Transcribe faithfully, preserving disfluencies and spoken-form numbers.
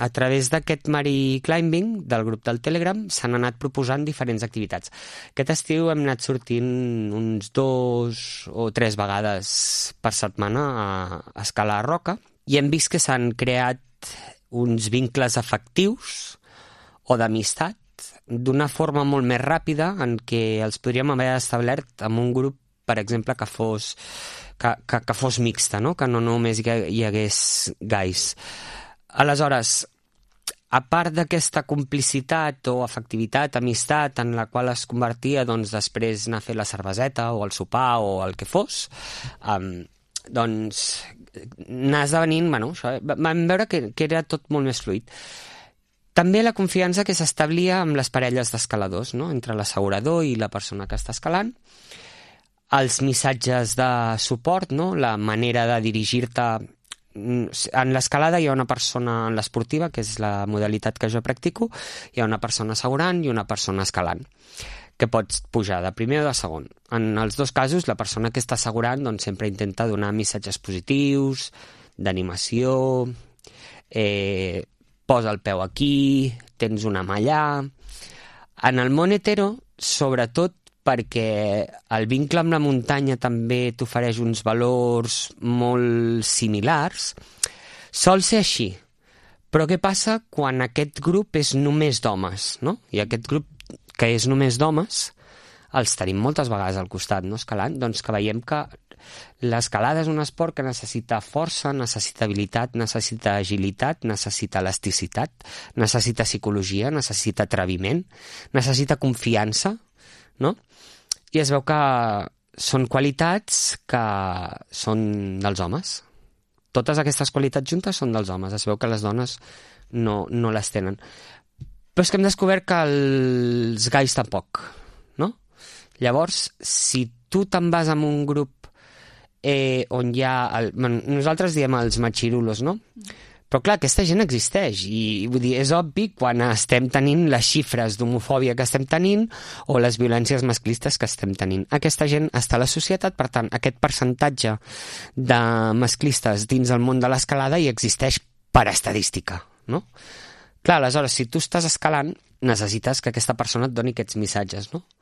a través d'aquest Mari Climbing, del grup del Telegram, s'han anat proposant diferents activitats. Aquest estiu hem anat sortint uns dos o tres vegades per setmana a escalar a roca i hem vist que s'han creat uns vincles afectius o d'amistat d'una forma molt més ràpida en què els podríem haver establert amb un grup, per exemple, que fos, que, que, que fos mixta, no? Que no només hi, hi hagués gais. Aleshores, a part d'aquesta complicitat o afectivitat, amistat, en la qual es convertia doncs, després anar a fer la cerveseta o el sopar o el que fos, um, doncs anar esdevenint, bueno, això, vam veure que, que era tot molt més fluid. També la confiança que s'establia amb les parelles d'escaladors, no? Entre l'assegurador i la persona que està escalant, els missatges de suport, no? La manera de dirigir-te. En l'escalada hi ha una persona, en l'esportiva, que és la modalitat que jo practico, hi ha una persona assegurant i una persona escalant, que pots pujar de primer o de segon. En els dos casos, la persona que està assegurant doncs, sempre intenta donar missatges positius, d'animació, eh, posa el peu aquí, tens una mà allà. En el món hetero, sobretot, perquè el vincle amb la muntanya també t'ofereix uns valors molt similars, sol ser així. Però què passa quan aquest grup és només d'homes, no? I aquest grup que és només d'homes, els tenim moltes vegades al costat, no? Escalant, doncs que veiem que l'escalada és un esport que necessita força, necessita habilitat, necessita agilitat, necessita elasticitat, necessita psicologia, necessita atreviment, necessita confiança, no? I es veu que són qualitats que són dels homes. Totes aquestes qualitats juntes són dels homes. Es veu que les dones no, no les tenen. Però és que hem descobert que els gais tampoc, no? Llavors, si tu te'n vas amb un grup eh, on hi ha... El, bueno, nosaltres diem els machirulos, no? Però clar, aquesta gent existeix i vull dir, és obvi quan estem tenint les xifres d'homofòbia que estem tenint o les violències masclistes que estem tenint. Aquesta gent està a la societat, per tant, aquest percentatge de masclistes dins el món de l'escalada hi existeix per estadística, no? Clar, aleshores, si tu estàs escalant, necessites que aquesta persona et doni aquests missatges, no?